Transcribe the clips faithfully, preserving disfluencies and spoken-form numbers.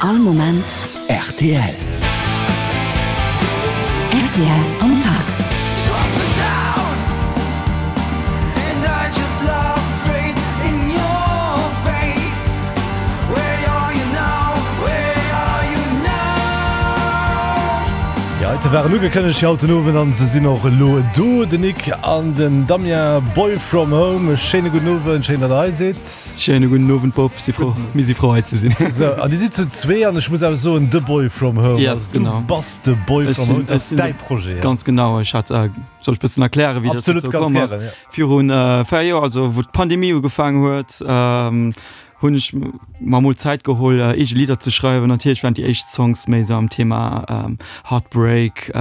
All Moment rtl. Rtl am Takt. Déi heite waren ugekënnegt fir haut den Owend an se sinn och elo do, den Nick an den Damien, Boy From Home. E schéine gudden Owend, schéin datt der hei sidd. Schéine gudden Owend Bob, si frou, mir si frou hei ze sinn. Sou, an dir sidd zu zwee an ech muss awer soen, de Boy From Home. Yes, genau. Du bass de Boy Ech From sinn, Home, dat ech ass sinn däi de, Projet. ganz genau. Ech hat, soll ech bëssen erklären, wéi dat Absolut, dozou ganz komm ass? gären, ja. Virun véier Joer, also wou d'Pandemie ugefaangen huet, hunn ech mer mol Zäit geholl eege Lidder ze schreiwen. Natierlech waren déi éischt Songs méi sou am Thema Heartbreak,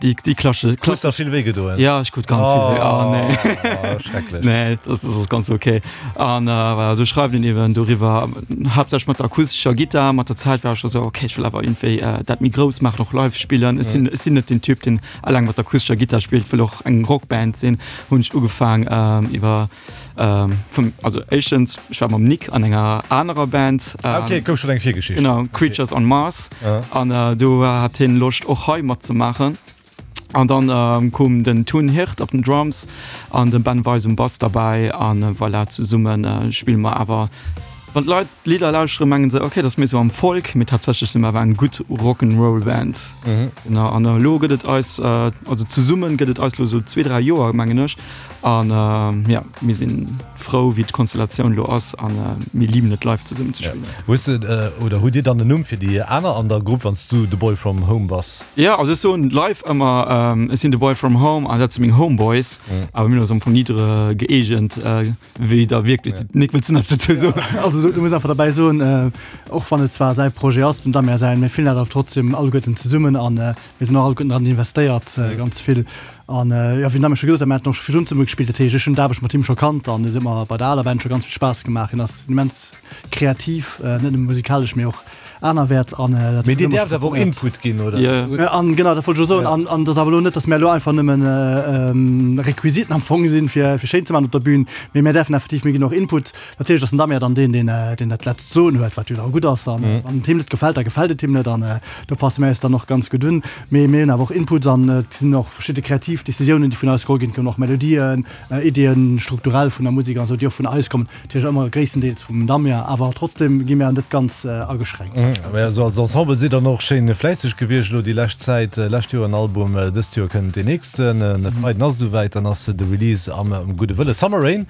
déi déi klasche Hues der vill wéi gedoen? Ja, ech krut ganz vill wéi, oh nee. Oh, schrecklech. Nee, dat ass ganz ok. An voilà, sou schreift een eben doriwwer, haaptsächlech mat der akustescher Gittar. Mat der Zäit war ech da sou, ok, ech wëll awer iergendwéi dat méi grouss maachen, och live spillen. Ech sinn ech sinn net den Typ, deen eleng mat der akustescher Gittar spillt, wëll och eng Rockband sinn. Hunn ech ugefaang iwwer vum, also éischtens, ech war mam Nick an enger anerer Band. Ah, okay, gouf schon eng Virgeschicht. Genau, Creatures on Mars. Ah. An do hat hien Loscht och hei matzemaachen. An dann koum den Tun Hirt op den Drums an den Ben Weis um Bass derbäi an voilà, zesumme spille mer awer. Wann d'Leit d'Lidder lauschteren, mengen se, okay, dat ass méi sou am Folk, mee tatsächlech si mer awer eng gutt Rock'n'Roll-Band. Genau, an elo gëtt et eis, also zesumme gëtt et eis elo sou zwee, dräi Joer, mengen ech. An jo, mir si frou, wéi d'Konstellatioun elo ass a mir liben et, live zesummen ze spillen. Hues de oder hutt Dir dann en Numm fir déi aner an der Grupp, wann s du de Boy from Home bass? Jo, also ech soen live ëmmer, ech sinn de Boy from Home an dat si meng Homeboys, awer mir hunn eis am Fong ni dre gëeegent, wéi da wierklech. Nick, wëlls du nach eppes dozou soen? Also du muss einfach derbäi soen, och wann et zwar säi Projet ass, dem Damien säin, mir fillen dat awer trotzdem alleguerten zesummen an mir sinn och alleguerten dran investéiert, ganz vill. An jo, wéi den Damien scho gesot huet, mir haten och scho virdrun zesumme gespillt, dat heescht ech hunn d'Aarbecht mat him scho kannt an et huet mer bei der aler Band scho ganz vill Spaass gemaach. Hien ass immens kreativ, net nëmme musikalesch, mee och anerwäerts an dat Mee huet dir ëmmer däerft awer och funktionéiert. Input ginn, oder? Jo. An genau, dat wollt ech elo soen. An an et ass awer elo net, datt mir elo einfach nëmmen Requisiten am Fong sinn, fir fir schéin ze maachen op der Bühn, mee mir däerfen effektiv, mir ginn och Input. Natierlech ass den Damien dann deen, deen deen dat letzt Soen huet, wat jo da gutt ass. An wann et him net gefält, da gefält et him net an do passe mir eis dann och ganz gutt un. Mee mir hunn awer och Inputs an et sinn och verschidde kreativ Decisiounen, déi vun eis geholl ginn. Et kommen och Melodien, Iddien strukturell vun der Musek an esou, déi och vun eis kommen. Natierlech ëmmer gréisstendeels vum Damien, awer trotzdem gi mir net ganz ageschränkt. Mä also als Ensemble sidd der och schéin fläisseg gewiescht elo déi lescht Zäit. Lescht Joer en Album, dëst Joer kënnt deen nächsten. E Freiden ass et esouwäit, dann ass de Release am Gudde Wëlle Summer Rain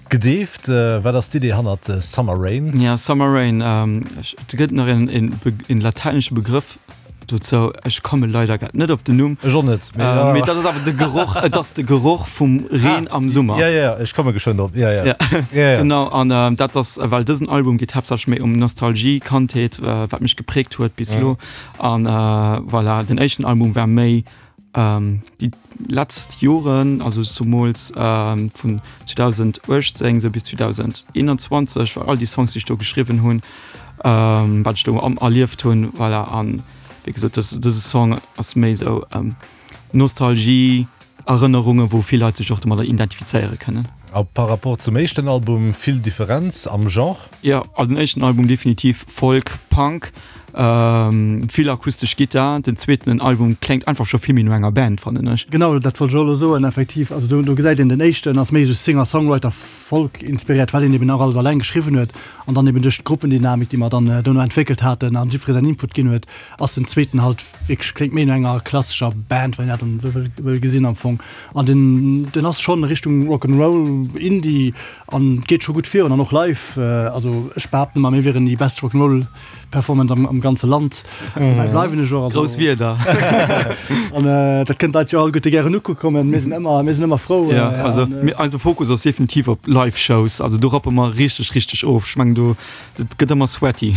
gedeeft. Wat ass d'Idee hannert Summer Rain? Ja, Summer Rain, et gëtt nach een lateinesche Begrëff dozou, ech komme leider grad net op den Numm. Ech och net, mee ja. Mee dat ass awer de Geroch, et ass de Geroch vum Reen am Summer. Ja, ja, ech komme geschwënn drop. Ja, ja. Ja, ja, ja. Genau, an dat ass, well dësen Album geet haaptsächlech méi um Nostalgie, Kandheet, wat mech gepräägt huet bis elo. An voilà, den éischten Album war méi déi letzt Joren, also zumools vun zweedausenduechtzéng sou bis zweedauseneenanzwanzeg, war all déi Songs, déi ech do geschriwwen hunn, wat ech do erlieft hunn, voilà. An wéi gesot, dës dëse Song ass méi sou Nostalgie, Erënnerungen, wou vill Leit sech och domadder identifizéiere kënnen. A par rapport zum éischten Album, vill Differenz am Genre? Jo, also den éischten Album definitiv Folk, Punk, vill akustesch Gittar. Den zweeten Album kléngt einfach scho vill méi no enger Band, fannen ech. Genau, dat wollt ech och elo soen, effektiv. Also do gesäit een, den éischten ass méi esou Singer-Songwriter, Folk inspiréiert, well een eben nach alles alleng geschriwwen huet. An dann eben duerch d'Gruppendynamik, déi mer dann dono entwéckelt haten an jiddweree säin Input ginn huet, ass den zweeten halt wierklech, kléngt méi no enger klassescher Band, wann een dat dann esou wëll wëll gesinn am Fong. An den den ass schonn Richtung Rock 'n' Roll, Indie an geet scho gutt virun an och live, also ech behaapten ëmmer, mir wieren déi best Rock 'n' Roll Performance am am ganze Land. Dobäi bleiwen ech och. Also, Grouss Wierder. An dat kënnt d'Leit jo alleguerte gären ukucke kommen. Mir sinn ëmmer mir sinn ëmmer frou. Ja, also mir, eise Fokus ass definitiv op Live-Shows. Also do rappe mer richteg, richteg of. Ech mengen do, dat gëtt ëmmer sweaty.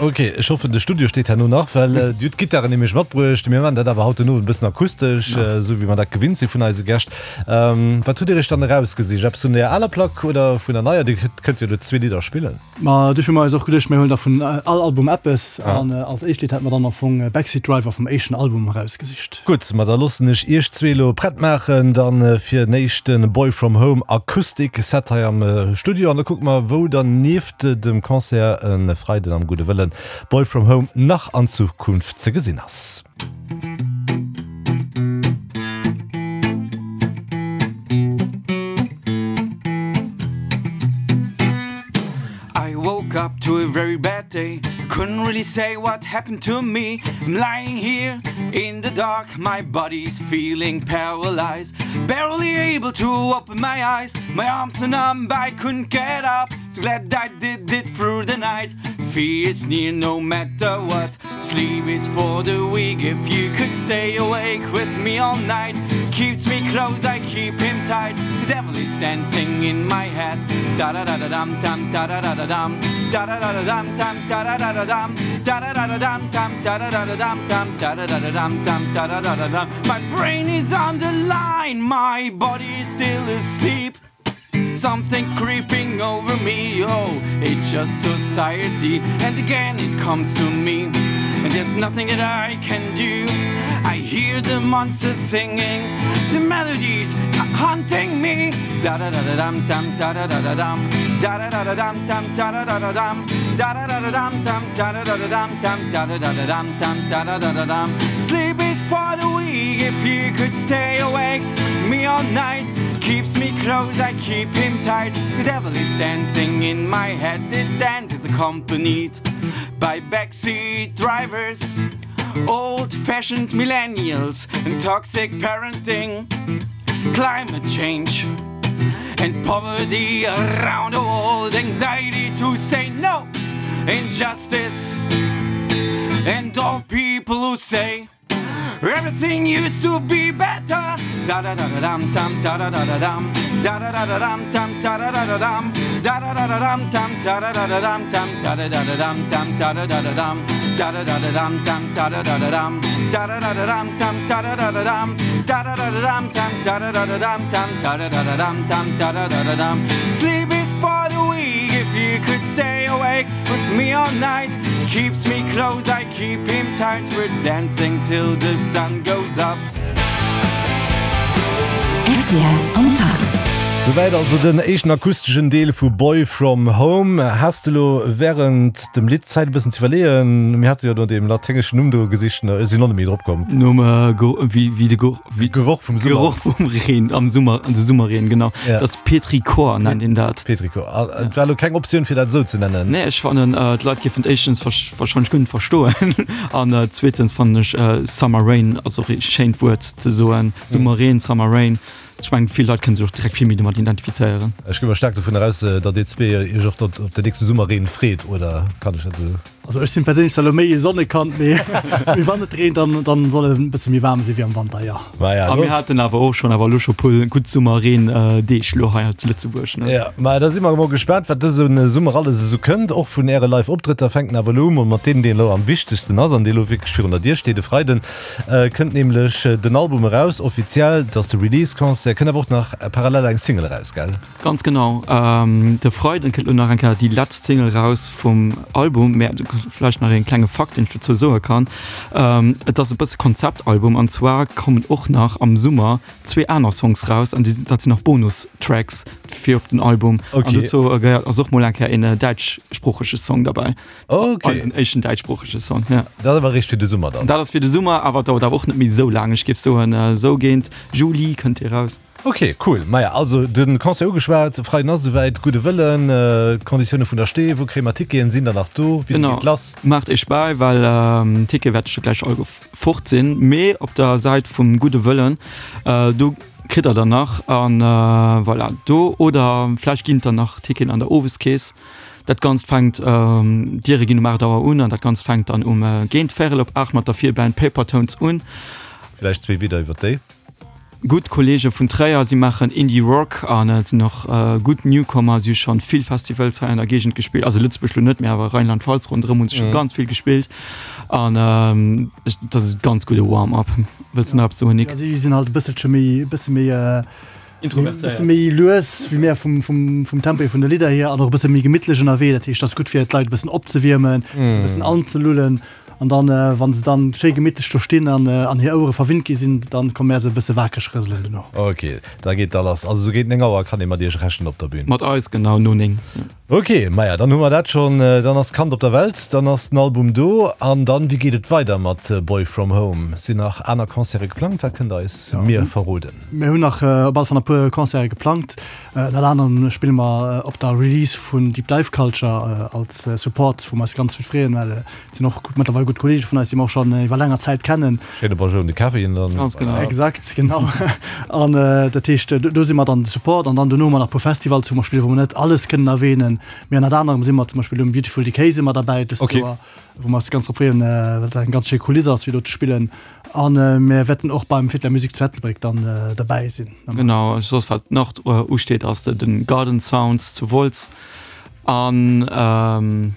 Ok, ech hoffen de Studio steet herno nach, well Dir hutt d'Gittaren nämlech matbruecht. Mir maachen dat awer haut den Owend e bëssen akustesch, esou wéi mer dat gewinnt si vun eise Gäscht. Wat hutt Dir Iech dann erausgesicht? Eppes vun der aler Plack oder vun der neier? Dir kënnt jo elo zwee Lidder spillen. Ma duerfir hu mer eis och geduecht, mir huelen da vun all Album eppes. An als éischt Lidd hätte mer dann am Fong Backseat Driver vum éischten Album erausgesicht. Gutt, ma da loossen ech Iech zwee elo prett maachen dann fir den éischte Boy From Home Acoustic Set hei am Studio an da kucke mer wou dann nieft dem Concert e Freiden am Gudde Wëllen Boy From Home nach an Zukunft ze gesinn ass. I woke up to a very bad day I couldn't really say what happened to me I'm lying here in the dark My body's feeling paralyzed Barely able to open my eyes My arms are numb, I couldn't get up So glad I did it through the night Fear is near no matter what Sleep is for the weak If you could stay awake with me all night Keeps me close, I keep him tight The devil is dancing in my head Da da da da dum dum da da da da dum Da da da da dum dum da da da da dum Da da da da dum dum da da da da dum dum Da da da da dum dum da da da da dum My brain is on the line, my body is still asleep Something's creeping over me, oh, it's just society And again it comes to me And there's nothing that I can do I hear the monsters singing The melodies hunting me Da da da da dum dum da da da da dum Da da da da dum dum da da da da dum Da da da da dum dum da da da da dum dum da da da da dum dum da da da da dum Sleep is for the weak if you could stay awake with me all night Keeps me close, I keep him tight The devil is dancing in my head This dance is accompanied by backseat drivers Old-fashioned millennials and toxic parenting Climate change and poverty around the world Anxiety to say no, injustice And all people who say Everything used to be better Da da da da dum dum da da da da dum Da da da da dum dum da da da da dum Da da da da dum dum da da da da dum dum da da da da dum dum da da da da dum Da da da da dum dum da da da da dum Da da da da dum dum da da da da dum Da da da da dum dum da da da da dum dum da da da da dum dum da da da da dum Sleep is for the weak if you could stay awake with me all night Keeps me close, I keep him tight We're dancing till the sun goes up. Rtl am Takt. Souwäit also den éischten akusteschen Deel vu Boy From Home. Has de lo wärend dem Lidd Zäit e bëssen ze iwwerleeën? Mir hate jo no deem laténgeschen Numm do gesicht, ech sinn och net méi drop komm. Nom wéi de Geroch vum Summer. Geroch vum Reen am Summer, de Summerreen, genau. Ja. Dat ass Petrichor nennt een dat. Petrichor. Et war elo keng Optioun fir dat esou ze nennen? Nee, ech fannen d'Leit géifen et éischtens warscheinlech guer net verstoen an zweetens fannen ech Summer Rain ass och ee schéint Wuert ze soen. Summerreen, Summer Rain. Ech mengen vill Leit kënne sech och direkt vill méi domat identifizéieren. Ech gi mol staark dovun eraus, datt dir zwee iech och op den nächste Summerreen freet, oder kann ech dat esou? Also ech sinn perséinlech zwar elo méi e Sonnekand, mee mee wann et reent, dann dann soll et e bësse méi waarm si wéi am Wanter, jo. Ma ja, A mir haten awer och schonn awer elo scho puer gutt Summerreen Deeg elo hei zu Lëtzebuerg, ne? Ja, ma da si mer emol gespaant, wat dëse Summer alles esou kënnt. Och vun äre Live Optrëtter fänken awer elo u mol mat deem, deen elo am wichtegsten ass an dee elo wierklech virun der Dier steet. E Freiden kënnt nämlech den Album eraus, offiziell, dat ass de Release Concert. Kënnt awer och nach parallel eng Single eraus, gell? Ganz genau, de Freiden kënnt elo nach eng Kéier déi letzt Single raus vum Album. Mä vläicht nach een klenge Fakt, deen ech dozou soe kann, Et ass e bësse Konzeptalbum an zwar kommen och nach am Summer zwee aner Songs raus an déi, dat sinn nach Bonustracks fir op den Album. An Okay. dozou gehéiert ass och mol eng Kéier een däitschsproochege Song derbäi. Okay. Eisen éischten däitschsproochege Song, ja. Dat ass awer eréischt fir de Summer dann? Dat ass fir de Summer, awer dauert awer och net méi esou laang. Ech géif soen, esou géint Juli kënnt dee raus. Ok, cool. Maja, also de Concert ugeschwat, Freiden ass esouwäit, gudde Wëllen, d'Konditioune vun der Stee, wou kréie mer Ticketen, sinn der nach do, wéi Genau, geet lass? maacht iech bäi, well d'Tickete wäerte scho gläich all fort sinn, mee op der Säit vum Gudde Wëllen, do kritt der der nach an voilà, do oder vläicht ginn et der nach Ticketen an der Oweskeess. Dat Ganzt fänkt, d'Diere ginn um aacht Auer un an dat Ganzt fänkt dann um géint véierel op aacht mat der Virband Papertones un. Vläicht zwee Wieder iwwer déi? gutt Kolleege vun Tréier. Si maachen Indie Rock an et sinn och gutt Newcomer. Si hu schonn vill Festivals hei an der Géigend gespillt, also Lëtzebuerg lo net, mee awer Rheinland-Pfalz ronderëm hu se scho ganz vill gespillt an dat ass e ganz gudde Warm-up. Wëlls du nach eppes soen, Nic? Ja, si sinn halt e bësselche méi, e bësse méi, e bësse méi lues wéi mär vum, vum, vum Tempo hier vun de Lidder hier an och e bësse méi gemittlech ënnerwee. Dat heescht, dat ass gutt fir d'Leit e bëssen opzewiermen, se e bëssen anzelullen. An dann, wa se dann schéi gemittlech do stinn an, an hir Ouere verwinnt gi sinn, dann komme mär se e bësse wakereg rëselen dono. Ok, da geet da lass. Also sou géint néng Auer kann ee mat iech rechnen op der Bühn? Mat eis, genau, no néng. Ok, maja, dann hu mer dat schonn. Dann ass d'Kand op der Welt, dann ass den Album do. An dann, wéi geet et weider mat Boy From Home? Sinn nach aner Concerte geplangt? Wat kënnt der eis mir verroden? Mir hunn nach op alle Fall e puer Concerte geplangt. Ënnert anerem spille mer op der Release vun Deep Dive Culture als Support, wou mer eis ganz vill freeën, well et sinn och mëttlerweil gutt Kolleege vun eis, déi mer och schonn iwwer länger Zäit kennen. Schéine Bonjour un de Kevin dann. Ganz genau. Exakt, genau. An dat heescht, do si mer dann de Support an dann dono hu mer nach e puer Festivals, wou mer spillen, wou mer net alles kënnen erwähnen. Mee ënnert anerem si mer zum Beispill um Beautiful Decay si mer derbäi dëst Joer, wou mer eis ganz drop freeën, well dat eng ganz schéi Kuliss ass, fir do ze spillen. An mir wäerten och beim Fête de la Musique zu Ettelbréck dann derbäi sinn. Genau, soss wat nach usteet ass de Garden Sounds zu Wolz an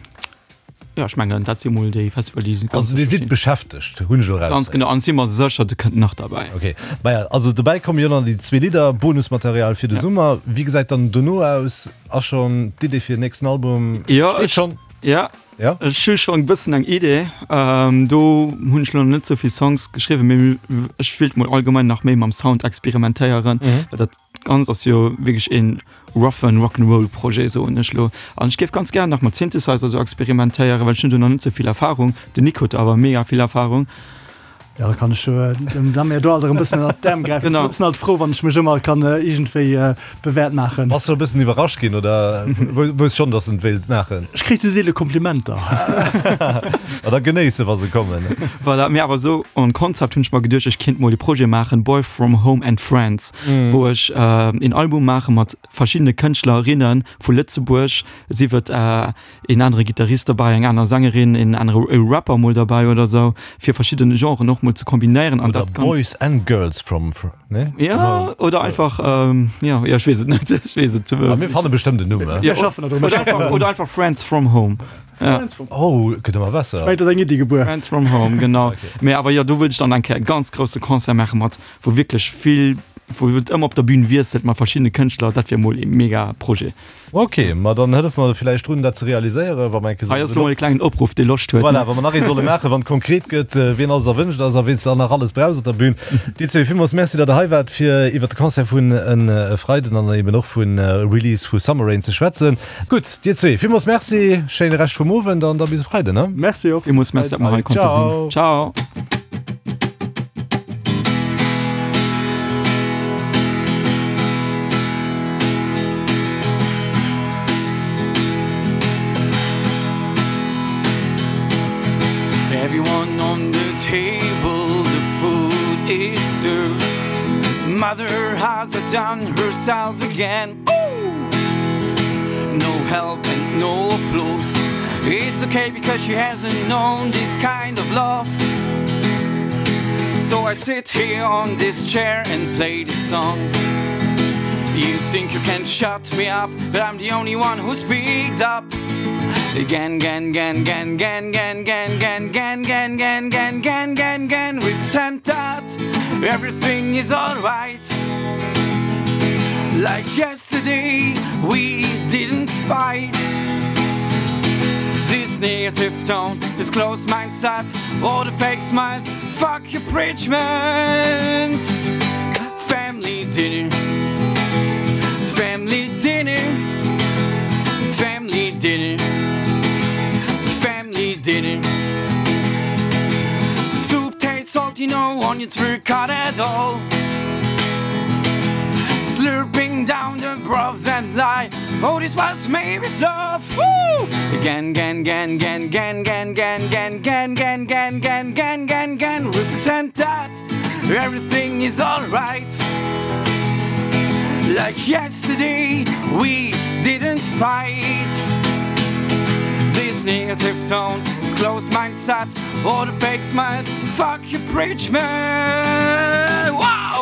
jo ech mengen dat si mol déi Festival déi ganz. Also dir sidd beschäftegt, hunn ech elo eraus. Ganz genau, an si mer sécher do kënnt nach derbäi. Ok, maja also dobäi komme jo dann déi zwee Lidder, Bonusmaterial fir de Summer. Wéi gesäit dann dono aus? Ass schonn d'Idee fir den nächsten Album? Jo, steet schonn? Jo. Ja. Ech hu schonn e bëssen eng Idee. Do hunn ech lo nach net sou vill Songs geschriwwen, mee ech wéilt mol allgemeng nach méi mam Sound experimentéieren, well dat Ganzt ass jo wierklech een roughen Rock'n'Roll Projet, soen ech lo. An ech géif ganz gär nach mat Synthesizer sou experimentéieren, well ech hunn do nach net sou vill Erfahrung. Den Nick huet do awer mega vill Erfahrung. Ja, da kann ech dem Damien do alt erëm bëssen ënnert d'Äerm gräifen. Genau. Ech sinn alt frou, wann ech mech ëmmer kann iergendwéi bewäert maachen. Bass du e bëssen iwwerrascht ginn oder wousst schonn, dass en et wéilt maachen? Ech kréich sou seele Komplimenter. A da genéiss se, wa se kommen. Voilà, mee awer esou en Konzept hunn ech mer geduecht, ech kéint mol e Projet maachen, Boy from Home and Friends, wou ech een Album maache mat verschiddene Kënschtlerinnen vu Lëtzebuerg, sief et een anere Gittarist derbäi, eng aner Sängerin, een anere Rapper mol derbäi oder sou, fir verschidden Genren och mol ze kombinéieren an Oder dat Ganzt. Boys and Girls from, nee? Ja, oder einfach, jo, jo, ech weess et net, ech weess et. Ah, mir fanne bestëmmt en Numm, ne? Ja, Mir schaffen der dru, mir oder schaffen einfach, der dru. oder einfach Friends from Home. Ja. Friends from Oh, gëtt ëmmer besser. Ech mengen, et ass eng Iddi gebuer. Friends from Home, genau. Mee awer jo, do wëllt ech dann eng Kéier e ganz grousse Concert maache mat, wou wierklech vill, wou et ëmmer op der Bühn wiesselt mat verschiddene Kënschtler, dat wier mol e mega Projet. Ok, ma dann hëllef mer villäicht drun, dat ze realiséieren, wa mer eng Kéier Hei ass lo mol e klengen Opruff, dee Loscht huet. Voilà, wa mer nach ee solle maachen, wann et konkret gëtt, wien alles erwënscht ass a wien s de dann nach alles brauchs op der Bühn. Dir zwee, villmools Merci, datt der hei waart, fir iwwert de Concert vun e Freiden an eben och vun Release vu Summer Rain ze schwätzen. Gutt, dir zwee, villmools Merci, schéine Rescht vum Owend an da bis e Freiden, ne? Merci och. Villmools Merci, datt mer hei konnte sinn. Ciao. Ciao. Everyone on the table, the food is served. Mother has done herself again. Ooh! No help and no applause. It's okay because she hasn't known this kind of love. So I sit here on this chair and play this song. You think you can shut me up, but I'm the only one who speaks up. Again, again, again, again, again, again, again, again, again, again, again, again, again, again, again. We pretend that everything is alright. Like yesterday, we didn't fight. This negative tone, this closed mindset, all the fake smiles, fuck your preachments. Family dinner, family dinner, family dinner, family dinner. Soup tastes salty, no onions were cut at all. Slurping down the broth and lie. Oh, this was made with love. Woo! Again, again, again, again, again, again, again, again, again, again, again, again, again, again, again. We pretend that everything is alright. Like yesterday, we didn't fight. This negative tone, this closed mindset, all the fake smiles, fuck your preachman. Wow!